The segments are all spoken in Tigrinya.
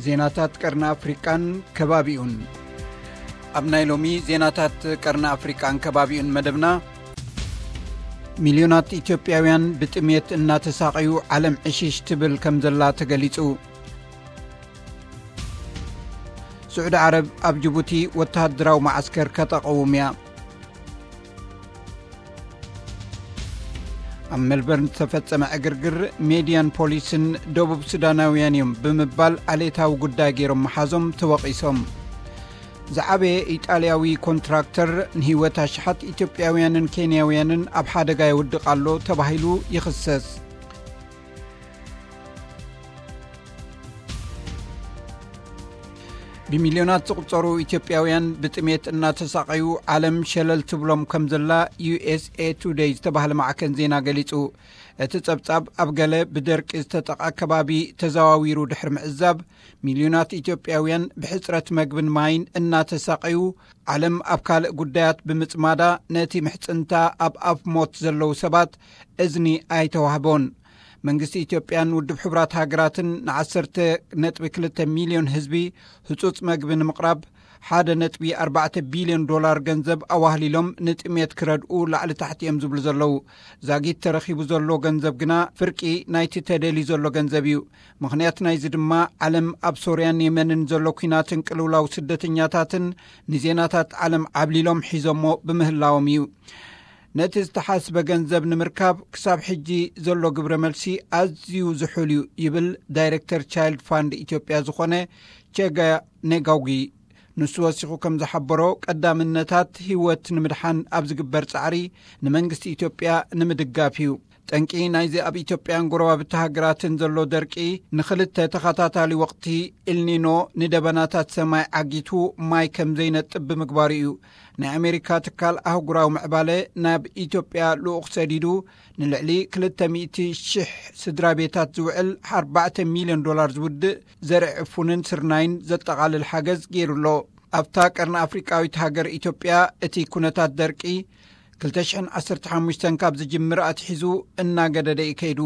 ዜናታት ቀርኒ ኣፍሪቃን ከባቢኡን። ኣብ ናይ ሎሚ ዜናታት ቀርኒ ኣፍሪቃን ከባቢኡን መደብና፣ ሚልዮናት ኢትዮጵያውያን ብጥሜት እናተሳቐዩ ዓለም ዕሽሽ ትብል ከም ዘላ ተገሊጹ። ስዑዲ ዓረብ ኣብ ጅቡቲ ወተሃደራዊ መዓስከር ከተቐውም እያ። ኣብ ሜልበርን ዝተፈጸመ ዕግርግር፣ ሜድያን ፖሊስን ደቡብ ሱዳናውያን እዮም ብምባል ዓሌታዊ ጉዳይ ገይሮም ምሓዞም ተወቒሶም። ዝዓበየ ኢጣልያዊ ኮንትራክተር ንህይወት ኣሽሓት ኢትዮጵያውያንን ኬንያውያንን ኣብ ሓደጋ የውድቕ ኣሎ ተባሂሉ ይኽሰስ። ብሚልዮናት ዝቑጸሩ ኢትዮጵያውያን ብጥሜት እናተሳቐዩ ዓለም ሸለል ትብሎም ከም ዘላ ዩ ኤስ ኤ ቱደይ ዝተባህለ ማዕከን ዜና ገሊጹ። እቲ ጸብጻብ ኣብ ገለ ብደርቂ ዝተጠቕዐ ከባቢ ተዘዋዊሩ ድሕሪ ምዕዛብ፣ ሚልዮናት ኢትዮጵያውያን ብሕጽረት መግብን ማይን እናተሳቐዩ፣ ዓለም ኣብ ካልእ ጉዳያት ብምጽማዳ፣ ነቲ ምሕጽንታ ኣብ ኣፍ ሞት ዘለዉ ሰባት እዝኒ ኣይተዋህቦን። መንግስቲ ኢትዮጵያን ውድብ ሕቡራት ሃገራትን ንዓሰርተ ነጥቢ ክልተ ሚልዮን ህዝቢ ህጹጽ መግቢ ንምቕራብ ሓደ ነጥቢ ኣርባዕተ ቢልዮን ዶላር ገንዘብ ኣዋህሊሎም ንጥሜት ክረድኡ ላዕሊ ታሕቲ እዮም ዝብሉ ዘለዉ። ዛጊት ተረኺቡ ዘሎ ገንዘብ ግና ፍርቂ ናይቲ ተደልዩ ዘሎ ገንዘብ እዩ። ምኽንያት ናይዚ ድማ ዓለም ኣብ ሶርያን የመንን ዘሎ ኲናትን ቅልውላው ስደተኛታትን ንዜናታት ዓለም ዓብሊሎም ሒዞሞ ብምህላዎም እዩ። ነቲ ዝተሓስበ ገንዘብ ንምርካብ ክሳብ ሕጂ ዘሎ ግብረ መልሲ ኣዝዩ ዝሑል እዩ ይብል ዳይሬክተር ቻይልድ ፋንድ ኢትዮጵያ ዝኾነ ቸጋ ኔጋውጊ። ንሱ ወሲኹ ከም ዝሓበሮ፣ ቀዳምነታት ህይወት ንምድሓን ኣብ ዝግበር ጻዕሪ ንመንግስቲ ኢትዮጵያ ንምድጋፍ እዩ። ጠንቂ ናይዚ ኣብ ኢትዮጵያን ጎረባብቲ ሃገራትን ዘሎ ደርቂ፣ ንኽልተ ተኸታታሊ ወቕቲ ኤልኒኖ ንደበናታት ሰማይ ዓጊቱ ማይ ከም ዘይነጥብ ብምግባሩ እዩ። ናይ ኣሜሪካ ትካል ኣህጉራዊ ምዕባለ ናብ ኢትዮጵያ ልኡኽ ሰዲዱ፣ ንልዕሊ ክልተ ሚእቲ ሽሕ ስድራ ቤታት ዝውዕል ኣርባዕተ ሚልዮን ዶላር ዝውድእ ዘርኢ ዕፉንን ስርናይን ዘጠቓልል ሓገዝ ገይሩ ኣሎ። ኣብታ ቀርኒ ኣፍሪቃዊት ሃገር ኢትዮጵያ፣ እቲ ኩነታት ደርቂ ክልተ ሽሕን ዓሰርተ ሓሙሽተን ካብ ዝጅምር ኣትሒዙ እናገደደ እዩ ከይዱ።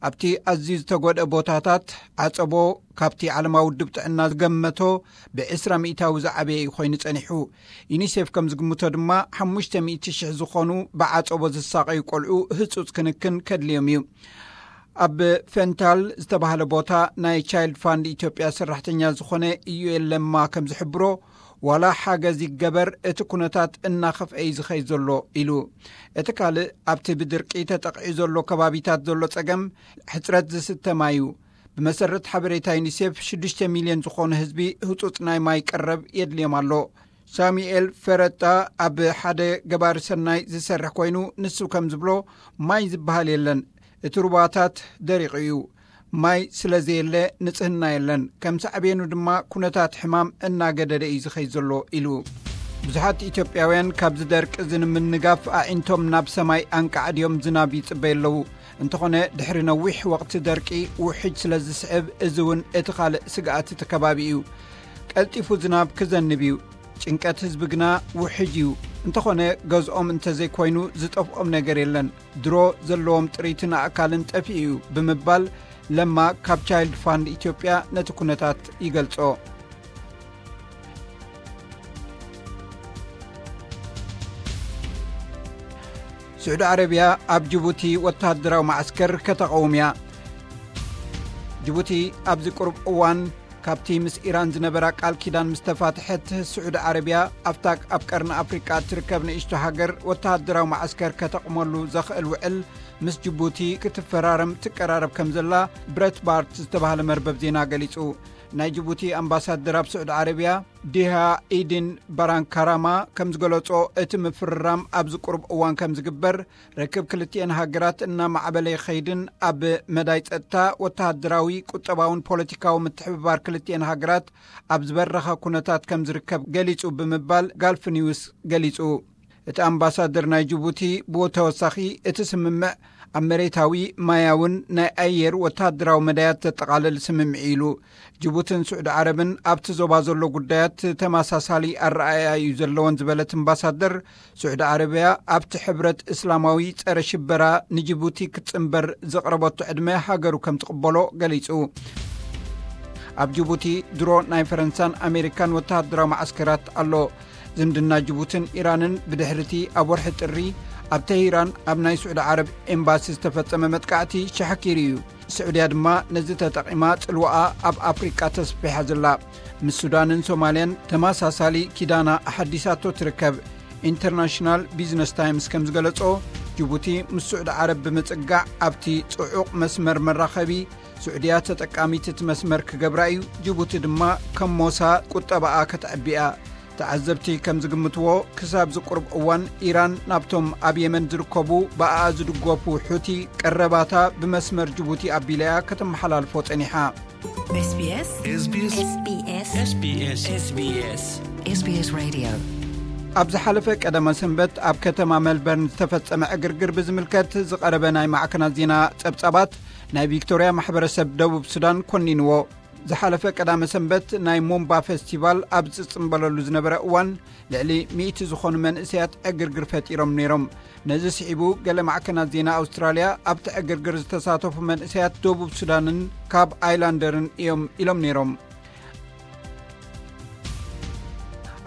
ኣብቲ ኣዝዩ ዝተጎድአ ቦታታት፣ ዓጸቦ ካብቲ ዓለማዊ ውድብ ጥዕና ዝገመቶ ብዕስራ ሚእታዊ ዝዓበየ እዩ ኮይኑ ጸኒሑ። ዩኒሴፍ ከም ዝግምቶ ድማ፣ ሓሙሽተ ሚእቲ ሽሕ ዝኾኑ ብዓጸቦ ዝሳቐዩ ቆልዑ ህጹጽ ክንክን ከድልዮም እዩ። ኣብ ፈንታል ዝተባህለ ቦታ ናይ ቻይልድ ፋንድ ኢትዮጵያ ሰራሕተኛ ዝኾነ ኢዩኤል ለማ ከም ዝሕብሮ፣ ዋላ ሓገዝ ይገበር፣ እቲ ኩነታት እናኸፍአ እዩ ዝኸይድ ዘሎ ኢሉ። እቲ ካልእ፣ ኣብቲ ብድርቂ ተጠቕዒ ዘሎ ከባቢታት ዘሎ ጸገም ሕጽረት ዝስተ ማይ እዩ። ብመሰረት ሓበሬታ ዩኒሴፍ፣ ሽዱሽተ ሚልዮን ዝኾኑ ህዝቢ ህጹጽ ናይ ማይ ቀረብ የድልዮም ኣሎ። ሳሙኤል ፈረጣ ኣብ ሓደ ገባሪ ሰናይ ዝሰርሕ ኮይኑ፣ ንሱ ከም ዝብሎ፣ ማይ ዝበሃል የለን። እቲ ሩባታት ደሪቑ እዩ። ማይ ስለ ዘየለ፣ ንጽህና የለን። ከም ሳዕቤኑ ድማ፣ ኩነታት ሕማም እናገደደ እዩ ዝኸይድ ዘሎ ኢሉ። ብዙሓት ኢትዮጵያውያን ካብዚ ደርቂ እዚ ንምንጋፍ ኣዒንቶም ናብ ሰማይ ኣንቃዕድዮም ዝናብ ይጽበዩ ኣለዉ። እንተኾነ፣ ድሕሪ ነዊሕ ወቕቲ ደርቂ ውሕጅ ስለ ዝስዕብ፣ እዚ እውን እቲ ካልእ ስግኣት እቲ ከባቢ እዩ። ቀልጢፉ ዝናብ ክዘንብ እዩ። ጭንቀት ህዝቢ ግና ውሕጅ እዩ። እንተኾነ፣ ገዝኦም እንተዘይኮይኑ ዝጠፍኦም ነገር የለን። ድሮ ዘለዎም ጥሪትን ኣእካልን ጠፊኡ እዩ ብምባል ለማ ካብ ቻይልድ ፋንድ ኢትዮጵያ ነቲ ኩነታት ይገልጾ። ስዑዲ ዓረብያ ኣብ ጅቡቲ ወተሃደራዊ ማዕስከር ከተቐውም እያ። ጅቡቲ ኣብዚ ቁሩብ እዋን ካብቲ ምስ ኢራን ዝነበራ ቃል ኪዳን ምስ ተፋትሐት፣ ስዑዲ ዓረብያ ኣብታ ኣብ ቀርኒ ኣፍሪቃ እትርከብ ንእሽቶ ሃገር ወተሃደራዊ ማዕስከር ከተቕመሉ ዘኽእል ውዕል ምስ ጅቡቲ ክትፈራረም ትቀራረብ ከም ዘላ ብሬትባርት ዝተባህለ መርበብ ዜና ገሊጹ። ናይ ጅቡቲ ኣምባሳደር ኣብ ስዑዲ ዓረብያ ዲሃ ኢድን ባራንካራማ ከም ዝገለጾ፣ እቲ ምፍርራም ኣብዚ ቁሩብ እዋን ከም ዝግበር፣ ርክብ ክልቲኤን ሃገራት እናማዕበለ ይኸይድን ኣብ መዳይ ጸጥታ፣ ወተሃደራዊ፣ ቁጠባውን ፖለቲካዊ ምትሕብባር ክልቲኤን ሃገራት ኣብ ዝበረኸ ኩነታት ከም ዝርከብ ገሊጹ ብምባል ጋልፍ ኒውስ ገሊጹ። እቲ ኣምባሳደር ናይ ጅቡቲ ብተወሳኺ፣ እቲ ስምምዕ ኣብ መሬታዊ፣ ማያውን ናይ ኣየር ወተሃደራዊ መዳያት ዘጠቓልል ስምምዕ ኢሉ። ጅቡትን ስዑዲ ዓረብን ኣብቲ ዞባ ዘሎ ጉዳያት ተመሳሳሊ ኣረኣእያ እዩ ዘለወን ዝበለት ኣምባሳደር፣ ስዑዲ ዓረብያ ኣብቲ ሕብረት እስላማዊ ጸረ ሽበራ ንጅቡቲ ክትጽንበር ዘቕረበቶ ዕድመ ሃገሩ ከም ትቕበሎ ገሊጹ። ኣብ ጅቡቲ ድሮ ናይ ፈረንሳን ኣሜሪካን ወተሃደራዊ ማዓስከራት ኣሎ። ዝምድና ጅቡትን ኢራንን ብድሕርቲ ኣብ ወርሒ ጥሪ ኣብ ተሂራን ኣብ ናይ ስዑዲ ዓረብ ኤምባሲ ዝተፈጸመ መጥቃዕቲ ሸሓኪሩ እዩ። ስዑድያ ድማ ነዚ ተጠቒማ ጽልዋኣ ኣብ ኣፍሪቃ ተስፊሓ ዘላ። ምስ ሱዳንን ሶማልያን ተመሳሳሊ ኪዳና ኣሓዲሳቶ ትርከብ። ኢንተርናሽናል ቢዝነስ ታይምስ ከም ዝገለጾ፣ ጅቡቲ ምስ ስዑዲ ዓረብ ብምጽጋዕ ኣብቲ ጽዑቕ መስመር መራኸቢ፣ ስዑድያ ተጠቃሚት እቲ መስመር ክገብራ እዩ። ጅቡቲ ድማ ከም ሞሳ ቁጠባኣ ከተዕብያ። ተዓዘብቲ ከም ዝግምትዎ፣ ክሳብ ዝቁርብ እዋን ኢራን ናብቶም ኣብ የመን ዝርከቡ ብኣኣ ዝድገፉ ሑቲ ቀረባታ ብመስመር ጅቡቲ ኣቢላያ ከተመሓላልፎ ጸኒሓ። SBS SBS SBS SBS SBS SBS Radio። ኣብ ዝሓለፈ ቀደመ ሰንበት ኣብ ከተማ መልበርን ዝተፈጸመ ዕግርግር ብዝምልከት ዝቐረበ ናይ ማዕከናት ዜና ጸብጻባት ናይ ቪክቶርያ ማሕበረሰብ ደቡብ ሱዳን ኮኒንዎ። ዝሓለፈ ቀዳመ ሰንበት ናይ ሙምባ ፌስቲቫል ኣብ ዝጽምበለሉ ዝነበረ እዋን፣ ልዕሊ ሚእቲ ዝኾኑ መንእሰያት ዕግርግር ፈጢሮም ነይሮም። ነዚ ስዒቡ፣ ገለ ማዕከናት ዜና ኣውስትራልያ ኣብቲ ዕግርግር ዝተሳተፉ መንእሰያት ደቡብ ሱዳንን ካብ ኣይላንደርን እዮም ኢሎም ነይሮም።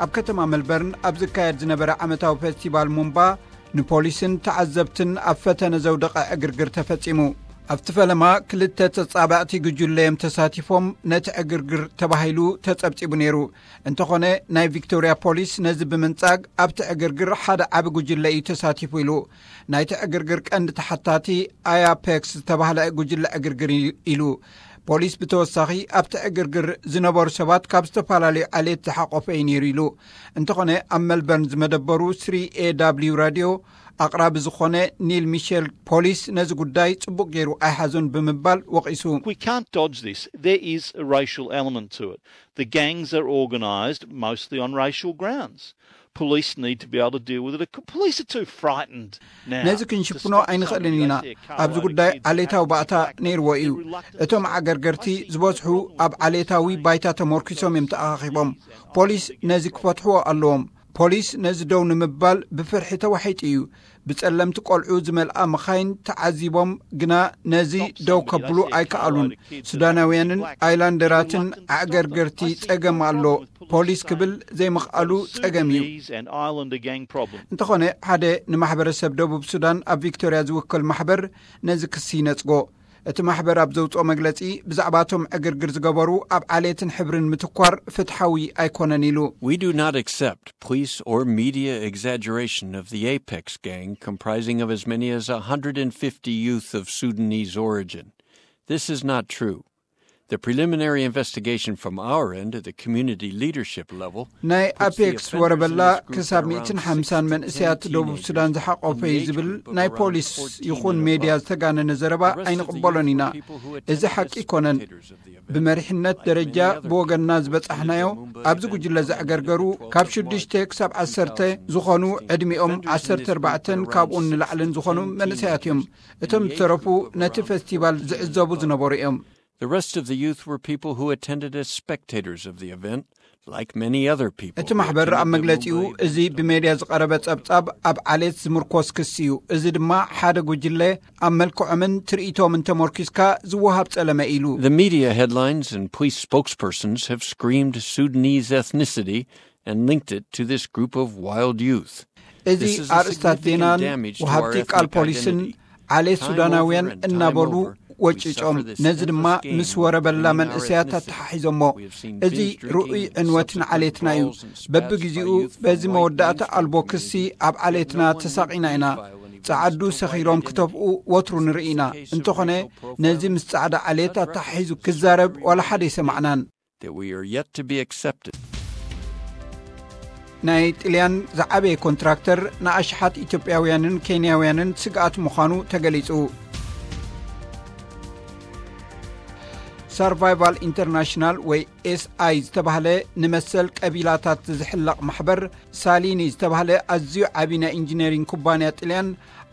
ኣብ ከተማ መልበርን ኣብ ዝካየድ ዝነበረ ዓመታዊ ፌስቲቫል ሙምባ፣ ንፖሊስን ተዓዘብትን ኣብ ፈተነ ዘውደቐ ዕግርግር ተፈጺሙ። ኣብቲ ፈለማ ክልተ ተጻባእቲ ጉጅለ እዮም ተሳቲፎም ነቲ ዕግርግር ተባሂሉ ተጸብጺቡ ነይሩ። እንተኾነ፣ ናይ ቪክቶርያ ፖሊስ ነዚ ብምንጻግ፣ ኣብቲ ዕግርግር ሓደ ዓቢ ጉጅለ እዩ ተሳቲፉ ኢሉ። ናይቲ ዕግርግር ቀንዲ ተሓታቲ ኣያፔክስ ዝተባህለ ጉጅለ ዕግርግር እዩ ኢሉ። ፖሊስ ብተወሳኺ፣ ኣብቲ ዕግርግር ዝነበሩ ሰባት ካብ ዝተፈላለዩ ዓሌት ዝሓቆፈ እዩ ነይሩ ኢሉ። እንተኾነ፣ ኣብ መልበርን ዝመደበሩ ስሪ ኤ ዳብሊው ራድዮ ኣቕራቢ ዝኾነ ኒል ሚሸል፣ ፖሊስ ነዚ ጉዳይ ጽቡቕ ገይሩ ኣይሓዞን ብምባል ወቒሱ። We can't dodge this. There is a racial element to it. The gangs are organised mostly on racial grounds. Police need to be able to deal with it. Police are too frightened now. ነዚ ክንሽፍኖ ኣይንኽእልን ኢና። ኣብዚ ጉዳይ ዓሌታዊ ባእታ ነይርዎ እዩ። እቶም ዓገርገርቲ ዝበዝሑ ኣብ ዓሌታዊ ባይታ ተመርኪሶም እዮም ተኣኻኺቦም። ፖሊስ ነዚ ክፈትሕዎ ኣለዎም። ፖሊስ ነዚ ደው ንምባል ብፍርሒ ተዋሒጡ እዩ። ብጸለምቲ ቆልዑ ዝመልኣ መኻይን ተዓዚቦም፣ ግና ነዚ ደው ከብሉ ኣይከኣሉን። ሱዳናውያንን ኣይላንደራትን ኣዕገርገርቲ ጸገም ኣሎ፣ ፖሊስ ክብል ዘይምኽኣሉ ጸገም እዩ። Sudanese and Islander gang problem. እንተኾነ፣ ሓደ ንማሕበረሰብ ደቡብ ሱዳን ኣብ ቪክቶርያ ዝውክል ማሕበር ነዚ ክሲ ይነጽጎ። እቲ ማሕበር ኣብ ዘውጽኦ መግለጺ፣ ብዛዕባቶም ዕግርግር ዝገበሩ ኣብ ዓሌትን ሕብርን ምትኳር ፍትሓዊ ኣይኮነን ኢሉ። We do not accept police or media exaggeration of the Apex gang, comprising of as many as a hundred and fifty youth of Sudanese origin. This is not true. The preliminary investigation from our end at the community leadership level ናይ puts the ኣፔክስ offenders in ወረበላ this group ክሳብ at around ሚእትን ሓምሳን መንእሰያት ደቡብ ሱዳን ዝሓቆፈ እዩ ዝብል ናይ ፖሊስ ይኹን ሜድያ ዝተጋነነ ዘረባ ኣይንቕበሎን ኢና። እዚ ሓቂ ኣይኮነን። ብመሪሕነት ደረጃ ብወገንና ዝበጻሕናዮ፣ ኣብዚ ጉጅለ ዘዕገርገሩ ካብ ሽዱሽተ ክሳብ ዓሰርተ ዝኾኑ፣ ዕድሚኦም ዓሰርተ ኣርባዕተን ካብኡን ንላዕልን ዝኾኑ መንእሰያት እዮም። እቶም ዝተረፉ ነቲ ፌስቲቫል ዝዕዘቡ ዝነበሩ እዮም። The rest of the youth were people who attended as spectators of the event, like many other people እቲ who ማሕበር ኣብ attended the መግለጺኡ፣ Mumbai እዚ ብሜድያ ዝቐረበ ጸብጻብ ኣብ ዓሌት ዝምርኮስ ክሲ እዩ። እዚ ድማ ሓደ ጉጅለ ኣብ መልክዖምን ትርኢቶምን ተመርኪስካ ዝወሃብ ጸለመ ኢሉ። The media headlines and police spokespersons have screamed Sudanese ethnicity and linked it to this group of wild youth. እዚ ኣርእስታት ዜናን ወሃብቲ ቃል ፖሊስን ዓሌት ሱዳናውያን እናበሉ ወጭጮም፣ ነዚ ድማ ምስ ወረበላ መንእሰያት ኣተሓሒዞሞ። እዚ ርኡይ ዕንወት ንዓሌትና እዩ። በብግዜኡ በዚ መወዳእታ ኣልቦ ክሲ ኣብ ዓሌትና ተሳቒና ኢና። ጸዓዱ ሰኺሮም ክተፍኡ ወትሩ ንርኢ ኢና። እንተኾነ፣ ነዚ ምስ ጻዕዳ ዓሌት ኣተሓሒዙ ክዛረብ ዋላ ሓደ ኣይሰማዕናን። That we are yet to be accepted. ናይ ጥልያን ዝዓበየ ኮንትራክተር ንኣሽሓት ኢትዮጵያውያንን ኬንያውያንን ስግኣት ምዃኑ ተገሊጹ። ሰርቫይቫል ኢንተርናሽናል ወይ ኤስኣይ ዝተባህለ ንመሰል ቀቢላታት ዝሕለቕ ማሕበር፣ ሳሊኒ ዝተባህለ ኣዝዩ ዓቢ ናይ ኢንጂነሪንግ ኩባንያ ጥልያን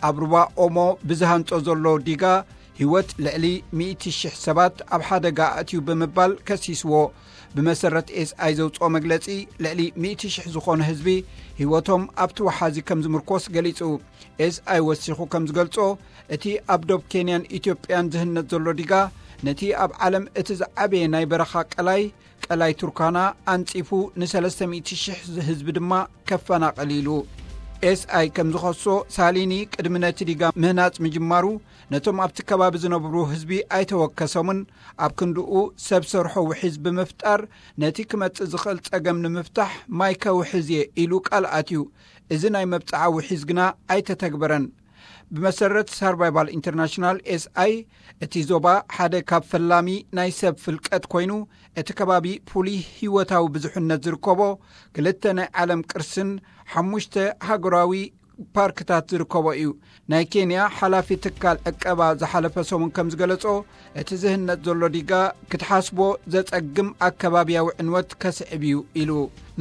ኣብ ሩባ ኦሞ ብዝሃንጾ ዘሎ ዲጋ ህይወት ልዕሊ ሚእቲ ሽሕ ሰባት ኣብ ሓደጋ ኣእትዩ ብምባል ከሲስዎ። ብመሰረት ኤስኣይ ዘውጽኦ መግለጺ፣ ልዕሊ ሚእቲ ሽሕ ዝኾኑ ህዝቢ ህይወቶም ኣብቲ ወሓዚ ከም ዝምርኮስ ገሊጹ። ኤስኣይ ወሲኹ ከም ዝገልጾ፣ እቲ ኣብ ዶብ ኬንያን ኢትዮጵያን ዝህነጽ ዘሎ ዲጋ ነቲ ኣብ ዓለም እቲ ዝዓበየ ናይ በረኻ ቀላይ፣ ቀላይ ቱርካና፣ ኣንጺፉ ን300,000 ህዝቢ ድማ ከፈናቕል ኢሉ። ኤስኣይ ከም ዝኸሶ፣ ሳሊኒ ቅድሚ ነቲ ዲጋ ምህናጽ ምጅማሩ ነቶም ኣብቲ ከባቢ ዝነብሩ ህዝቢ ኣይተወከሶምን። ኣብ ክንድኡ ሰብ ሰርሖ ውሒዝ ብምፍጣር ነቲ ክመጽእ ዝኽእል ጸገም ንምፍታሕ ማይ ከውሕዝ እየ ኢሉ ቃል ኣትዩ። እዚ ናይ መብጽዓ ውሒዝ ግና ኣይተተግበረን። ብመሰረት ሰርቫይቫል ኢንተርናሽናል፣ ኤስኣይ፣ እቲ ዞባ ሓደ ካብ ፈላሚ ናይ ሰብ ፍልቀት ኮይኑ፣ እቲ ከባቢ ፍሉይ ህይወታዊ ብዙሕነት ዝርከቦ፣ ክልተ ናይ ዓለም ቅርስን ሓሙሽተ ሃገራዊ ፓርክታት ዝርከቦ እዩ። ናይ ኬንያ ሓላፊ ትካል ዕቀባ ዝሓለፈ ሰሙን ከም ዝገለጾ፣ እቲ ዝህነጽ ዘሎ ዲጋ ክትሓስቦ ዘጸግም ኣከባብያዊ ዕንወት ከስዕብ እዩ ኢሉ።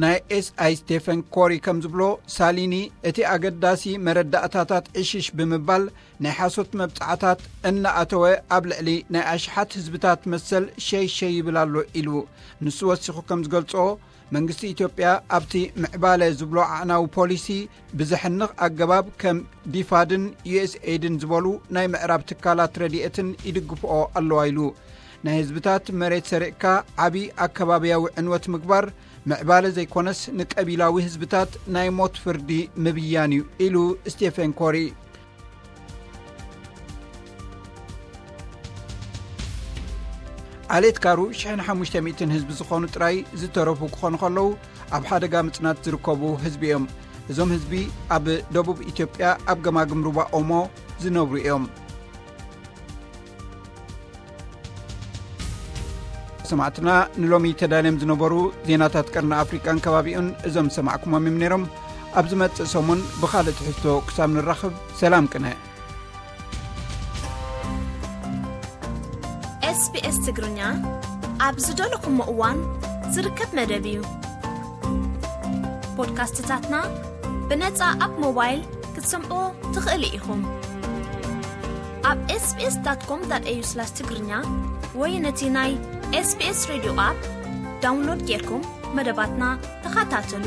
ናይ ኤስኣይ ስቴፈን ኮሪ ከም ዝብሎ፣ ሳሊኒ እቲ ኣገዳሲ መረዳእታታት ዕሽሽ ብምባል ናይ ሓሶት መብጻዕታት እናኣተወ ኣብ ልዕሊ ናይ ኣሽሓት ህዝብታት መሰል ሸይ ሸይ ይብል ኣሎ ኢሉ። ንሱ ወሲኹ ከም ዝገልጾ፣ መንግስቲ ኢትዮጵያ ኣብቲ ምዕባለ ዝብሎ ዓዕናዊ ፖሊሲ ብዘሕንኽ ኣገባብ ከም ዲፋድን ዩኤስኤይድን ዝበሉ ናይ ምዕራብ ትካላት ረድኤትን ይድግፍኦ ኣለዋ ኢሉ። ናይ ህዝብታት መሬት ሰሪቕካ ዓቢ ኣከባብያዊ ዕንወት ምግባር ምዕባለ ዘይኮነስ ንቀቢላዊ ህዝብታት ናይ ሞት ፍርዲ ምብያን እዩ ኢሉ ስቴፈን ኮሪ። ዓሌት ካሩ ሽሕን ሓሙሽተ ሚእትን ህዝቢ ዝኾኑ ጥራይ ዝተረፉ ክኾኑ ከለዉ፣ ኣብ ሓደጋ ምጽናት ዝርከቡ ህዝቢ እዮም። እዞም ህዝቢ ኣብ ደቡብ ኢትዮጵያ ኣብ ገማግም ሩባ ኦሞ ዝነብሩ እዮም። ሰማዕትና፣ ንሎሚ ተዳልዮም ዝነበሩ ዜናታት ቀርኒ ኣፍሪቃን ከባቢኡን እዞም ሰማዕኩሞም እዮም ነይሮም። ኣብ ዝመጽእ ሰሙን ብኻልእ ትሕዝቶ ክሳብ ንራኸብ፣ ሰላም ቅነ። ኤስቢኤስ ትግርኛ ኣብ ዝደለኹሞ እዋን ዝርከብ መደብ እዩ። ፖድካስትታትና ብነጻ ኣብ ሞባይል ክትሰምዑ ትኽእሉ ኢኹም። ኣብ ኤስቢኤስ ዳት ኮም ዳት ኤዩ ስላሽ ትግርኛ ወይ ነቲ ናይ ኤስቢኤስ ሬድዮ ኣፕ ዳውንሎድ ጌርኩም መደባትና ተኸታተሉ።